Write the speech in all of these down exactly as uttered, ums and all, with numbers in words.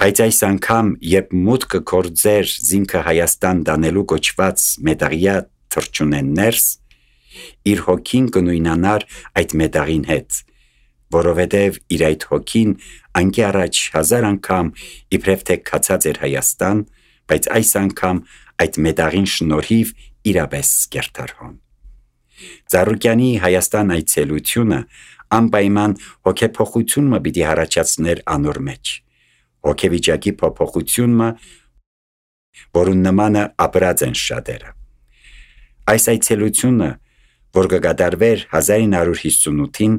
Բայց այս անգամ, երբ մուտքը գործեր զինքը Հայաստան դանելու կոչված մետաղյա թռչունեն ներս, իր հոգին կնույնանար այդ մետաղին հետ, որովհետև իր այդ հոգին անկի առաջ հազար անգամ իբրև թե քացած էր Հայաստան, բայց այս անգամ այդ մետաղին շնորհիվ իրապես կերտարհոն։ Ծառուկյանի Հայաստան այցելությունը անպայման հոգեփոխություն մը պիտի հարաճացներ անոր մեջ, հոգեվիճակի փոփոխությունը, որուն նմանը ապրած են շատերը։ Այս այցելությունը, որ կգադարվեր հազար ինը հարյուր հիսունութին,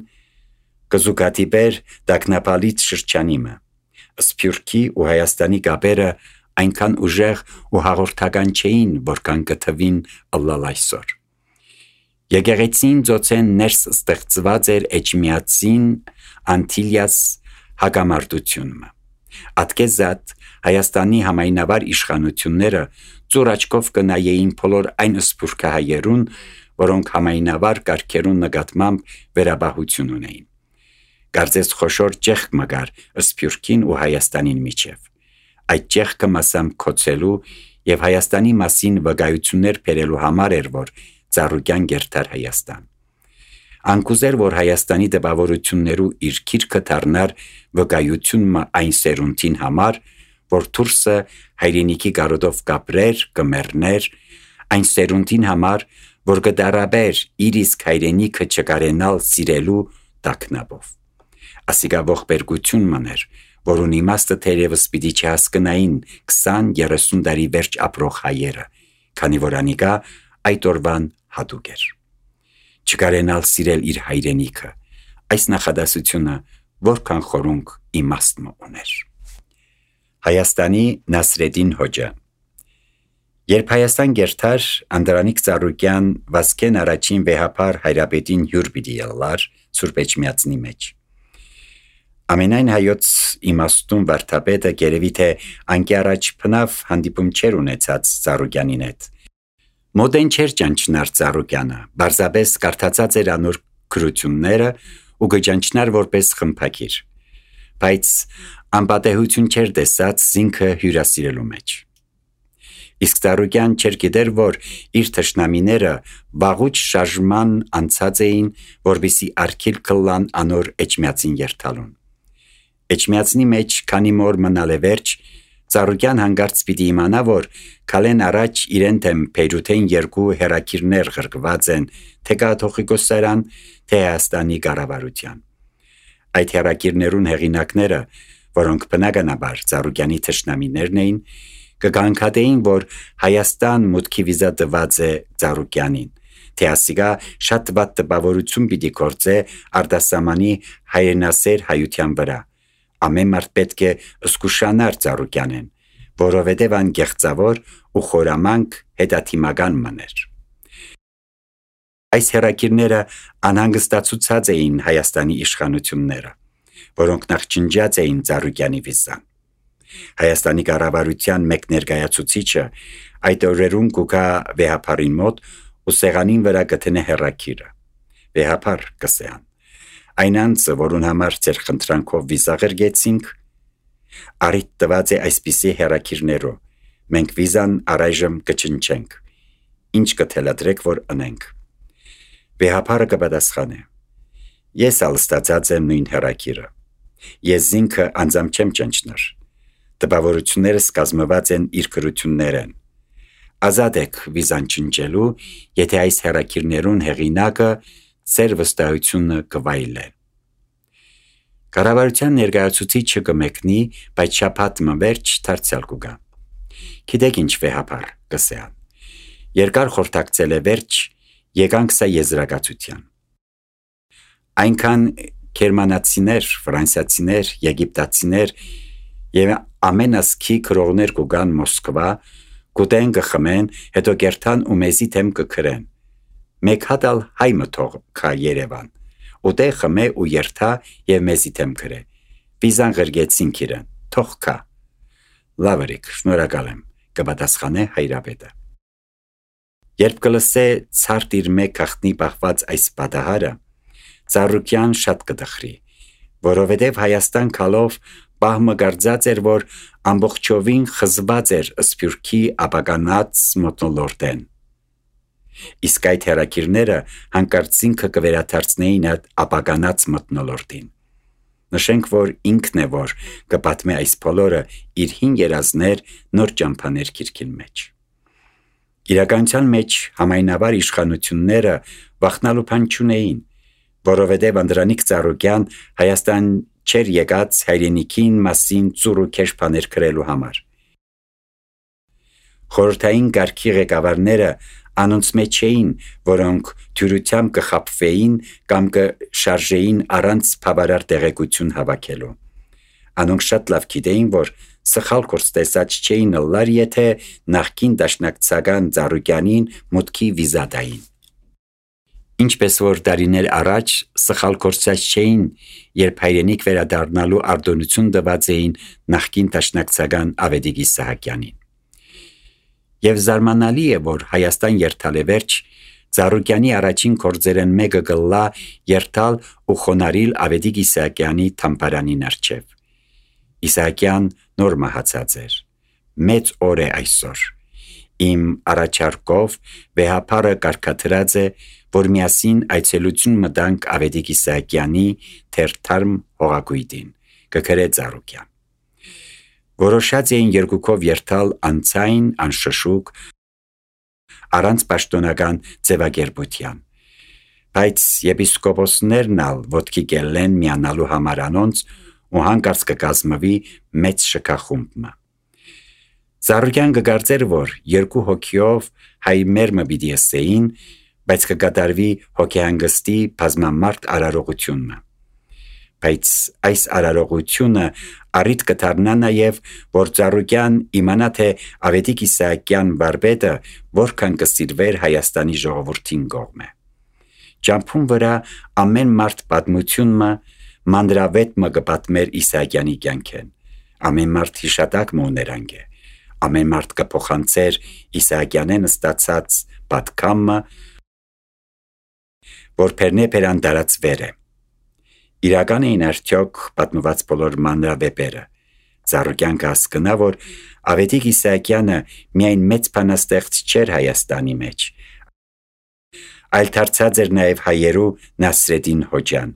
կզուգադիպեր Տաքնապալից շրջանիմը, Սփյուռքի ու Հայաստանի կապերը այնքան ուժեղ ու հաղորդական չէին, որքան կթվին ըլլալ այսօր։ Եկեղեցին ծոցեն ներս ստեղծված էր Էջմիածին Անտիլիաս հակամարտությունը։ Ատկեզատ Հայաստանի համայնավար իշխանությունները ծուր աչքով կնայեին բոլոր այն սփյուռքահայերուն, որոնք համայնավար կարգերուն նկատմամբ վերաբահություն ունեին։ Կարծես խոշոր ճեղք մգար Սփյուռքին ու Հայաստանին միջև։ Այդ ճեղքը մասամբ քոցելու եւ Հայաստանի մասին վկայություններ բերելու համար էր, որ Ծառուկյան գերտար Հայաստան։ Անկուզեր, որ Հայաստանի դպավորություններու իր քիրքը դառնար վկայությունը այն սերունդին համար, որ դուրսը հայրենիքի գարոդով կապրեր, կմեռներ, այն սերունդին համար, որ կդարաբեր իր իսկ հայրենիքը չկարենալ սիրելու տակնաբով։ Ասիկա ողբերգություն մներ, որուն իմաստը թերևս պիտի չհասկնային քսան երեսուն տարի վերջ ապրող հայերը, քանի որ անիկա այդ օրվան հատուկ էր։ Չկարենալ սիրել իր հայրենիքը, այս նախադասությունը որքան խորունկ իմաստ ուներ։ Հայաստանի Նասրեդին Հոջը։ Երբ Հայաստան գերտար, Անդրանիկ Ծառուկյան Վասկեն առաջին վեհապար հայրապետին հյուր պիտի ելլար Սուրբ Էջմիածնի մեջ։ Ամենայն հայոց իմաստուն վարդապետը գերևի թե անկի առաջ փնավ հանդիպում չեր ունեցած Ծառուկյանին հետ։ Մոդեն չէր ճանչնար Ծառուկյանը, բարձաբես կարդացած էր անոր գրությունները ու գճանչնար որպես խմփակիր, բայց անպատեհություն չէր տեսած զինքը հյուրասիրելու մեջ։ Իսկ Ծառուկյան չէր գիտեր, որ իր թշնամիները վաղուց շարժման անցած էին, որպեսզի արգիլ կլան անոր Էջմիածին երթալուն։ Էջմիածնի մեջ քանի մոր մնալ է վերջ, Ծառուկյան հանգարց պիտի իմանա, որ քալեն առաջ իրեն թեմ Փեյրութեն երկու հերակիրներ ղրկված են, թե կաթողիկոսարան, թե Հայաստանի կառավարության։ Այդ հերակիրներուն հեղինակները, որոնք բնականաբար Ծառուկյանի թշնամիներն էին, կգանքատեին, որ Հայաստան մուտքի վիզա տված է Ծառուկյանին, թե ասիկա շատ վատ տպավորություն պիտի գործե արտասահմանի հայրենասեր հայության վրա։ Ամեն մարդ պետք է զգուշանար Ծառուկյանեն, որովհետև ան գեղձավոր ու խորամանկ հետաթիմական մներ։ Այս հերակիրները անհանգստացուցած էին Հայաստանի իշխանությունները, որոնք նախ ջնջած էին Ծառուկյանի վիզան։ Հայաստանի կառավարության մեկ ներկայացուցիչը այդ օրերուն կուկա վեհապարին մոտ ու սեղանին վրա գտնե հերակիրը։ Վեհապար կսեան։ Այն անձը, որուն համար ձեր խնդրանքով վիզա ղրգեցինք, առիթ տված է այսպիսի հերակիրներով, մենք վիզան առայժմ կչնչենք, ինչ կթելադրեք, որ ընենք։ Վեհապարը կպատասխանե. ես ալ ստացած եմ նույն հերակիրը, ես զինքը անձամ չեմ ճնչներ, տպավորություններս կազմված են իր գրություններ են, ազատ եք վիզան չնչելու, եթե այս հերակիրներուն հեղինակը ծեր վստահությունը կվայելե։ Կառավարության ներկայացուցիչը կմեկնի, բայց շաբաթ մը վերջ դարձյալ կուգա։ Գիտեք ինչ վեհապար կսեան։ Երկար խորտակցել է վերջ, եկանք սա եզրակացության։ Այնքան գերմանացիներ, ֆրանսիացիներ, եգիպտացիներ եւ ամեն ասքի քրողներ կուգան Մոսկվա, կուտեն կխմեն, հետո կերթան ու մեզի թեմ կքրեն։ Մեկ հատ ալ հայ մթող կա Երևան, ուտե խմե ու երթա եւ մեզի թեմ քրե։ Վիզան ղրգեցինք իրեն, թող կա։ Լավերիկ, շնորհակալ եմ, կպատասխանե հայրապետը։ Երբ կլսե ցարտ իր մեկ ախտնի բախված այս պատահարը, Ծառուկյան շատ կդխրի, որովհետև Հայաստան քալով պահմը գարձած էր, որ ամբողջովին խզված էր սփյուռքի ապականած մթնոլորտեն։ Իսկ այդ հերակիրները հանկարծ ինքը կվերադարձնեին այդ ապականած մթնոլորտին։ Նշենք, որ ինքն է, որ կպատմի այս բոլորը իր հին երազներ նոր ճամփաներ քիրքին մեջ։ Իրականության մեջ համայնավար իշխանությունները վախնալու բան չունեին, որովհետև Անդրանիկ Ծառուկյան Հայաստան չէր եկած հայրենիքին մասին ծուռ ու քեշ բաներ գրելու համար։ Խորհրդային կարգի ղեկավարները անոնց մեջ էին, որոնք թյուրությամբ կխաբվեին կամ կշարժեին առանց բավարար տեղեկություն հավաքելու։ Անոնք շատ լավ գիտեին, որ սխալ կորս տեսած չէին լար, եթե նախկին դաշնակցական Ծառուկյանին մուտքի վիզա տային։ Ինչպես որ դարիներ առաջ սխալ կորսած չէին, երբ հայրենիք վերադառնալու արտոնություն տված էին նախկին դաշնակցական Ավետիք Իսահակյանին։ Եվ զարմանալի է, որ Հայաստան երթալեվերջ Ծառուկյանի առաջին գործերեն մեկը գլա երթալ ու խոնարհիլ Ավետիք Իսահակյանի թամբարանին առջև։ Իսահակյան նոր մահացած էր։ Մեծ օր է այսօր։ Իմ առաջարկով վեհապարը կարգադրած է, որ միասին այցելություն մտանք Ավետիք Իսահակյանի թերթարմ հողագույտին, կգրե Ծառուկյան։ Որոշած էին երկուքով երթալ անցայն, անշշուկ, առանց պաշտոնական ձևակերպության, բայց եպիսկոպոսներն ալ ոտքի կելեն միանալու համար անոնց ու հանկարծ կկազմվի մեծ շքախումբը։ Ծառուկյան կգարձեր, որ երկու հոգիով հայ մերմը պիտի ըսեին, բայց կկատարվի հոգեհանգստի բազմամարդ արարողությունը։ Բայց այս արարողությունը առիթ կդառնա նաև, որ Ծառուկյան իմանա, թե Ավետիք Իսահակյան վարպետը որքան կսիրվեր Հայաստանի ժողովրդին կողմը։ Ճամփուն վրա ամեն մարդ պատմությունը մանրավետ մը կպատմեր Իսահակյանի կյանքեն, ամեն մարդ հիշատակ մը ուներանգ է, ամեն մարդ կփոխանցեր Իսահակյանեն ստացած պատկամը, որ պերնե պերան դարածվեր է։ Իրական էին արդյոք պատմված բոլոր մանրավեպերը։ Ծառուկյան կհասկնա, որ Ավետիք Իսահակյանը միայն մեծ բանաստեղծ չէր Հայաստանի մեջ, այլ դարձած էր նաև հայերու Նասրեդին Հոջան։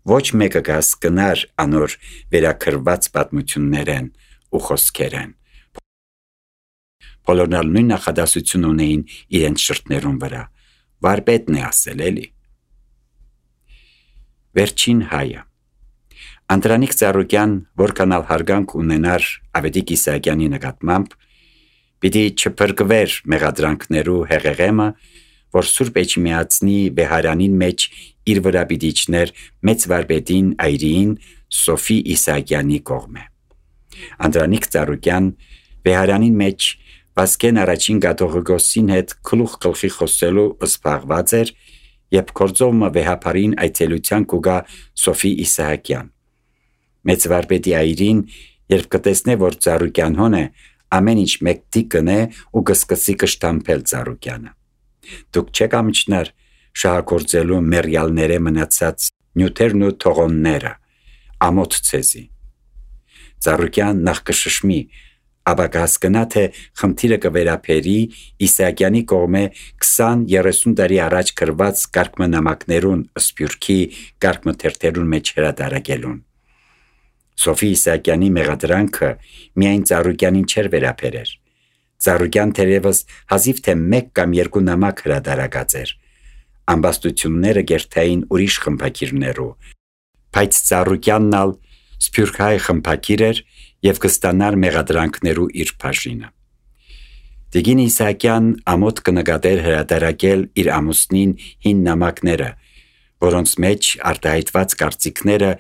Ոչ մեկը կհասկնար անոր վերաքրված պատմություններեն ու խոսքերեն։ Բոլորն ալ նույն նախադասություն ունեին իրենց շրթներուն վրա։ Վարպետն է ասել էլի։ Վերջին հայը։ Անդրանիկ Ծառուկյան, որքան ալ հարգանք ունենար Ավետիք Իսահակյանի նկատմամբ, պիտի չփրկվեր մեղադրանքներու հեղեղեմը, որ Սուրբ Էջմիածնի վեհարանին մեջ իր վրա պիտի իջներ մեծ վարպետին այրին Սոֆի Իսահակյանի կողմը։ Անդրանիկ Ծառուկյան վեհարանին մեջ Վասկեն առաջին Գաթողիկոսին հետ գլուխ գլխի խոսելու զբաղված էր, երբ գործովը վեհապարին այցելության կուգա Սոֆի Իսահակյան։ Մեծ վարպետի այրին, երբ կտեսնե, որ Ծառուկյան հոն է, ամեն ինչ մեկտի կնե ու կսկսի կշտամփել Ծառուկյանը։ Դուք չեք ամիջնար շահագործելու մերյալները մնացած նյութերն ու թողոնները, ամոթ ցեզի։ Ծառուկյան նախ կշշմի, ապա կհասկնա, թե խնդիրը կվերապերի Իսահակյանի կողմը քսան երեսուն տարի առաջ գրված կարգմնամակներուն սփյուռքի կարգմթերթերուն մեջ հրատարակելուն։ Սոֆի Իսահակյանի մեղադրանքը միայն Ծառուկյանին չէր վերապերեր։ Ծառուկյան թերևս հազիվ թե մեկ կամ երկու նամակ հրատարակած էր։ Ամբաստությունները գերտային ուրիշ խմբակիրներու, բայց Ծառուկյանն ալ սփյուռքահայ խմբակիր էր և կստանար մեղադրանքներու իր բաժինը։ Տիկին Իսահակյան ամոթ կնկատեր հրատարակել իր ամուսնին հին նամակները, որոնց մեջ արտահայտված կարծիքները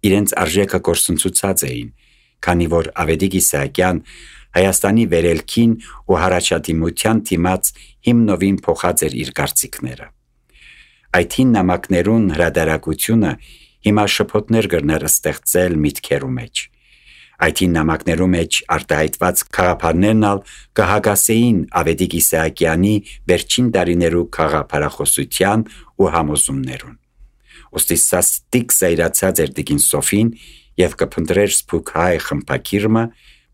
իրենց արժեքը կորսնցուցած էին, քանի որ Ավետիք Իսահակյան Հայաստանի վերելքին ու հարաճադիմության դիմաց հիմնովին փոխած էր իր կարծիքները։ Այդ հին նամակներուն հրատարակությունը հիմա շփոթներ կրներ ստեղծել միտքերու մեջ։ Այդ հին նամակներու մեջ արտահայտված խաղապարներն ալ կհագասեին Ավետիք Իսահակյանի վերջին տարիներու խաղապարախոսության ու համոզումներուն։ Ոստի սաստիկ զայրացած էր տիկին Սոֆին, եւ կփնտրեր սփուկահայ խմբակիրը,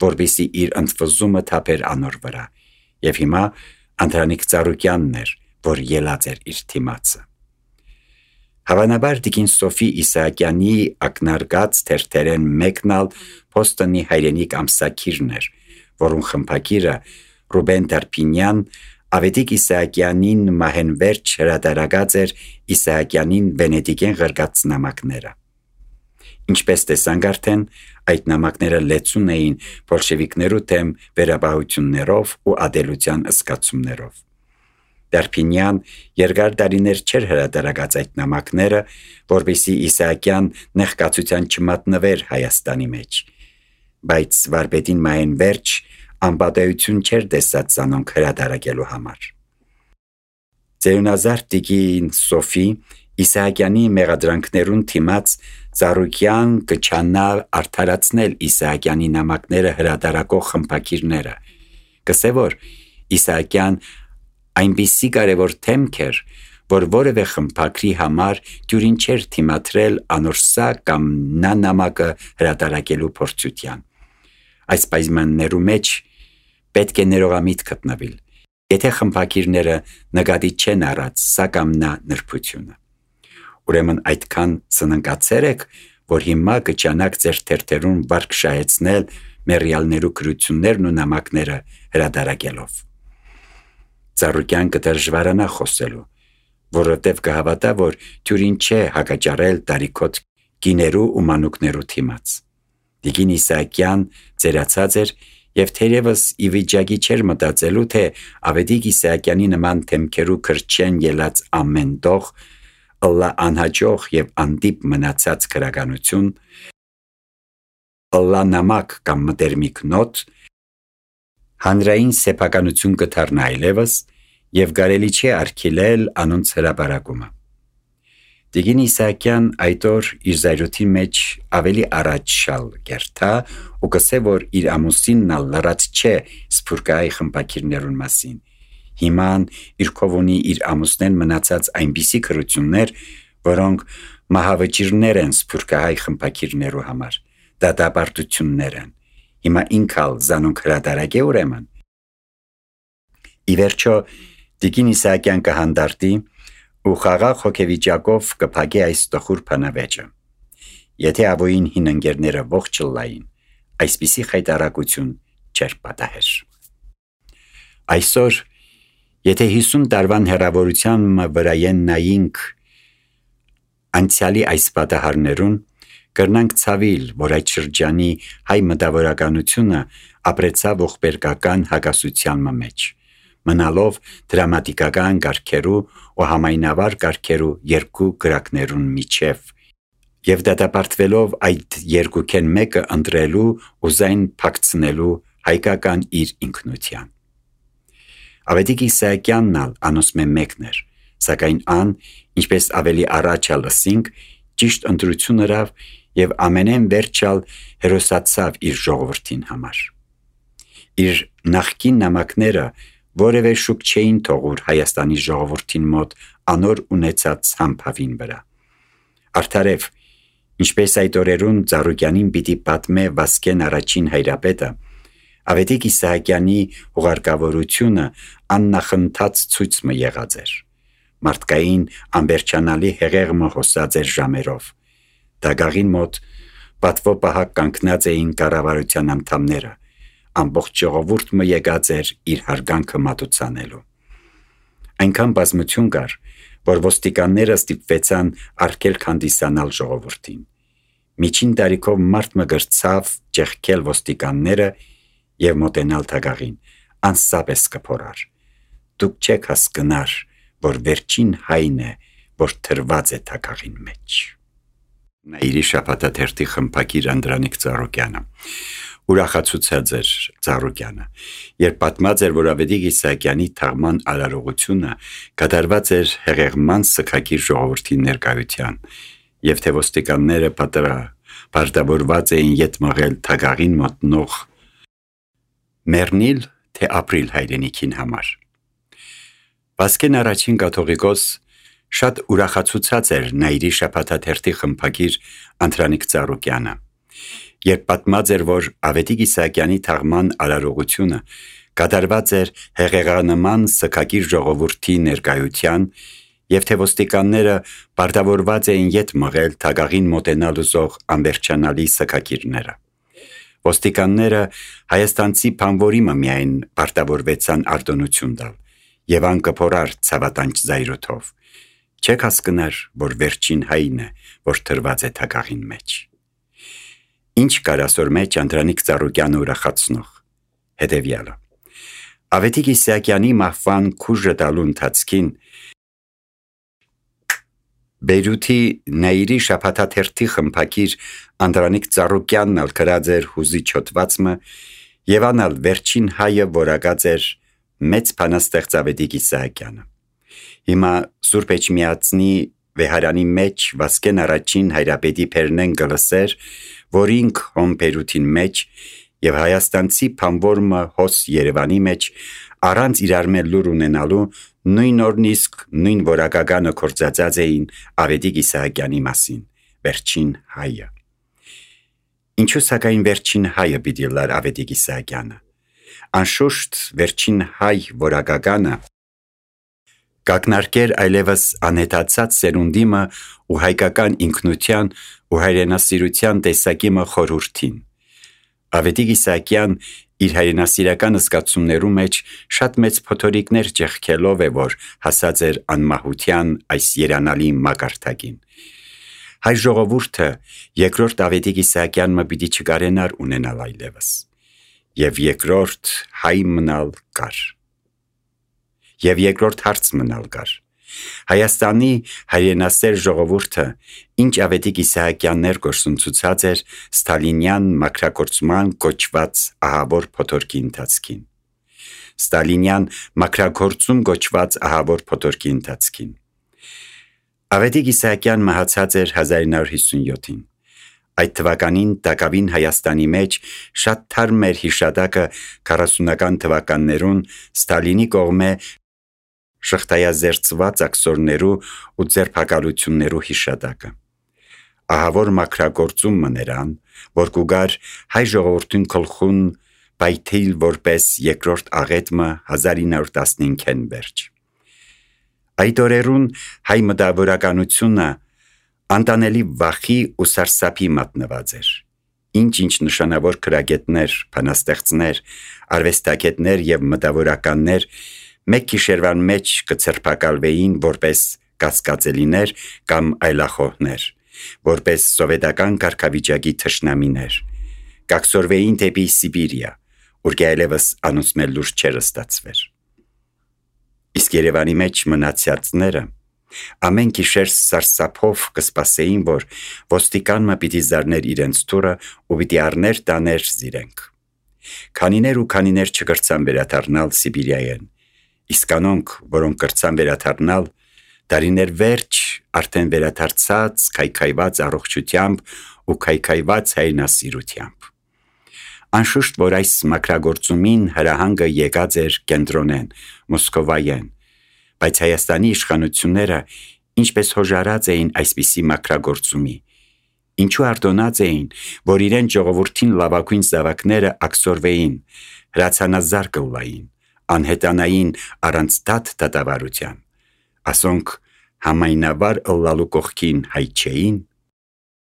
որբիսի իր ընդվզումը թափեր անոր վրա, եւ հիմա Անդրանիկ Ծառուկյանն էր, որ ելած էր իր թիմացը։ Հավանաբար Տիկին Սոֆի Իսահակյանի ակնարկած թերթերեն մեկնալ Փոստոնի հայրենիք ամսակիրն էր, որուն խմբակիրը Ռուբեն Տարփինյան Ավետիք Իսահակյանին մահենվերջ հրատարակած էր Իսահակյանին վենետիկեն ղրգած նամակները։ Ինչպես տեսանք արդեն, այդ նամակները լեցուն էին բոլշևիկներու թեմ վերաբահություններով ու ադելության ըսկացումներով։ Տարփինյան երկար տարիներ չէր հրատարակած այդ նամակները, որպեսզի Իսահակյան նեղկացության չմատնվեր Հայաստանի մեջ, բայց վարպետին մահենվերջ անպատեություն չէր տեսած զանոնք հրատարակելու համար։ Ծերունազարդ Տիկին Սոֆի Իսահակյանի մեղադրանքներուն թիմաց Ծառուկյան կչանա արդարացնել Իսահակյանի նամակները հրատարակող խմբակիրները, կսե որ Իսահակյան այնպիսի կարևոր թեմք էր, որ որևէ խմբակրի համար դյուրին չէր թիմադրել անորսա կամ նա նամակը հրատարակելու փորձության։ Այս պայմաններու մեջ պետք է ներողամիտ գտնվել, եթե խմբակիրները նկատի չեն առած սա կամ նա նրբությունը։ Ուրեմն այդքան սննկացեր եք, որ հիմա կճանաք ձեր թերթերուն վարկ շահեցնել մեռյալներու գրություններն ու նամակները հրատարակելով։ Ծառուկյան կդժվարանա խոսելու, որովհետև կհավատա, որ դյուրին չէ հակաճարել տարիքոտ կիներու ու մանուկներու թիմաց։ Տիկին Իսահակյան ծերացած էր եւ թերևս ի վիճակի չէր մտածելու, թե Ավետիք Իսահակյանի նման թեմքերու քրչեն ելած ամեն դող ըլլա անհաջող եւ անդիպ մնացած քրականություն, ըլլա նամակ կամ մտերմիկ նոտ, հանրային սեփականություն կդառնա այլևս եւ կարելի չէ արգելել անոնց հրապարակումը։ Տիկին Իսահակյան այդ օր իր զայրույթի մեջ ավելի առաջ շալ գերտա ու կսե որ իր ամուսինն ալ լրած չէ սփյուռքահայ խմբակիրներուն մասին։ Հիման իր կողունի իր ամուսնեն մնացած այնպիսի քրություններ, որոնք մահավճիրներ են սփյուռքահայ խմբակիրներու համար, դատապարտություններ են։ Հիմա ինքալ զանոնք հրատարակ է ուրեմն։ Ի վերջո Տիկին Իսահակյան կհանդարտի ու խաղաղ հոգեվիճակով կփակի այս տխուր բանավեճը։ Եթե ավոյին հին ընկերները ողջ լային, այսպիսի խայտարակություն չէր պատահեր։ Այսօր, եթե հիսուն տարվան հեռավորության վրայեն նայինք անցյալի այս պատահարներուն, կրնանք ցավիլ, որ այդ շրջանի հայ մտավորականությունը ապրեցավ ողբերգական հակասության մեջ, մնալով դրամատիկական կարգերու ու համայնավար կարգերու երկու գրակներուն միջև եւ դատապարտվելով այդ երկուքեն մեկը ընտրելու ու զայն փակցնելու հայկական իր ինքնության։ Ավետիք Իսահակյանն ալ անոնցմե մեկն էր, սակայն ան, ինչպես ավելի առաջ լսինք, ճիշտ ընտրություն ըրավ եւ ամենեն վերջալ հերոսացավ իր ժողովրդին համար։ Իր նախկին նամակները որևէ շուկ չէին թողուր Հայաստանի ժողովրդին մոտ անոր ունեցած համբավին վրա։ Արդարև, ինչպես այդ օրերուն Ծառուկյանին պիտի պատմե Վասկեն առաջին հայրապետը, Ավետիք Իսահակյանի հուղարկավորությունը աննախընթաց ցույցը եղած էր։ Մարդկային անվերջանալի հեղեղը հոսած էր ժամերով։ Դագաղին մոտ պատվո պահակ կանգնած էին կառավարության անդամները, ամբողջ ժողովուրդը եկած էր իր հարգանքը մատուցանելու։ Այնքան բազմություն կար, որ ոստիկանները ստիպվեցան արգելք հանդիսանալ ժողովրդին։ Միջին տարիքով մարդ մը գրցավ ճեղքել ոստիկանները եւ մոտենալ թագաղին, անսապես կփորար։ Դուք չեք հասկնար, որ վերջին հայն է, որ թրված է թագաղին մեջ։ Նայիրի շաբաթաթերթի խմբակիր Անդրանիկ Ծառուկյանը ուրախացուցած էր Ծառուկյանը, երբ պատմած էր, որ Ավետիք Իսահակյանի թաղման արարողությունը կատարված էր հեղեղման սգակիր ժողովրդի ներկայության, եւ թե ոստիկանները պարտավորված էին ետ մղել թագաղին մոտնող մեռնիլ, թե ապրիլ հայրենիքին համար։ Վասկեն առաջին կաթողիկոս շատ ուրախացուցած էր Նայիրի շաբաթաթերթի խմբակիր Անդրանիկ Ծառուկյանը Երբ պատմած էր, որ Ավետիք Իսահակյանի թաղման արարողությունը կատարված էր հեղեղանման սգագիր ժողովրդի ներկայության և թե ոստիկանները պարտավորված էին ետ մղել թագաղին մոտենալ ուզող անվերջանալի սգագիրները։ Ոստիկանները հայաստանցի բանվորիմը միայն պարտավորվեցան արտոնություն տալ և ան կփորար ցավատանչ զայրոթով։ Չեք հասկնար, որ վերջին հայն է, որ թրված է թագաղին մեջ։ Ինչ կար ասոր մեջ Անդրանիկ Ծառուկյանը ուրախացնող։ Հետևյալը. Ավետիք Իսահակյանի մահվան քուժը տալու ընթացքին Բեյրութի Նայիրի շաբաթաթերթի խմբակիր Անդրանիկ Ծառուկյանն ալ գրած էր հուզիչ հոդվածը և անալ վերջին հայը որակած էր մեծ բանաստեղծ Ավետիք Իսահակյանը։ Հիմա Սուրբ Էջմիածնի վեհարանի մեջ Վասկեն առաջին հայրապետի Փերնեն գլսեր, որ ինք հոմ Բեյրութին մեջ և հայաստանցի բանվորմը հոս Երևանի մեջ առանց իրար մել լուր ունենալու նույն օրն իսկ նույն որակականը կործածած էին Ավետիք Իսահակյանի մասին, վերջին հայը։ Ինչու սակայն վերջին հայը պիտի լար Ավետիք Իսահակյանը։ Անշուշտ վերջին հայ որակականը կակնարկեր այլևս անհետացած սերունդիմը ու հայկական ինքնության ու հայրենասիրության տեսակիմը խորհուրդին։ Ավետիք Իսահակյան իր հայրենասիրական զգացումներու մեջ շատ մեծ փոթորիկներ ճեղքելով է, որ հասած էր անմահության այս երանալի մակարդակին։ Հայ ժողովուրդը երկրորդ Ավետիք Իսահակյանը պիտի չկարենար ունենալ այլևս, և երկրորդ հայ մնալ կար։ Եվ երկրորդ հարց մնալ կար։ Հայաստանի հայրենասեր ժողովուրդը ինչ Ավետիք Իսահակյաններ գործընծուցած էր Ստալինյան մաքրագործման կոչված ահավոր փոթորկի ընթացքին։ Ստալինյան մաքրագործում կոչված ահավոր փոթորկի ընթացքին։ Ավետիք Իսահակյան մահացած էր հազար ինը հարյուր հիսունյոթին։ Այդ թվականին Տակավին Հայաստանի մեջ շատ թարմ էր հիշատակը քառասունական թվականներուն Ստալինի կողմէ շղթայազերծված աքսորներու ու ձերբակալություններու հիշատակը։ Ահավոր մաքրագործում մներան, որ կուգար հայ ժողովրդին գլխուն պայթիլ որպես երկրորդ աղետմը հազար ինը հարյուր տասնհինգեն վերջ։ Այդ օրերուն հայ մտավորականությունը անտանելի վախի ու սարսափի մատնված էր։ Ինչ-ինչ նշանավոր քրագետներ, բանաստեղծներ, արվեստագետներ և մտավորականներ մեկ գիշերվան մեջ կձերբակալվեին որպես կասկածելիներ կամ այլախոհներ, որպես սովետական կարգավիճակի թշնամիներ, կաքսորվեին դեպի Սիբիրիա, ուր այլևս անոնցմե լուրջ չէր ստացվեր։ Իսկ Երևանի մեջ մնացածները ամեն գիշեր սարսափով կսպասեին, որ ոստիկանը պիտի զարներ իրենց թուրը ու պիտի առներ տաներ զիրենք։ Քանիներ ու քանիներ չկրցան վերադառնալ Սիբիրիայեն, իսկ անոնք, որոնք կրցան վերադառնալ, դարիներ վերջ արդեն վերադարձած քայքայված առողջությամբ ու քայքայված հայրենասիրությամբ։ Անշուշտ, որ այս մաքրագործումին հրահանգը եկած էր կենտրոնեն, Մոսկովայեն, բայց Հայաստանի իշխանությունները ինչպես հոժարած էին այսպիսի մաքրագործումի, ինչու արտոնած էին, որ իրեն ժողովրդին լավագույն զավակները աքսորվեին, հրացանազար կուլային, անհետանային առանց դատ դատավարության, ասոնք համայնավար ըլլալու կողքին հայ չէին։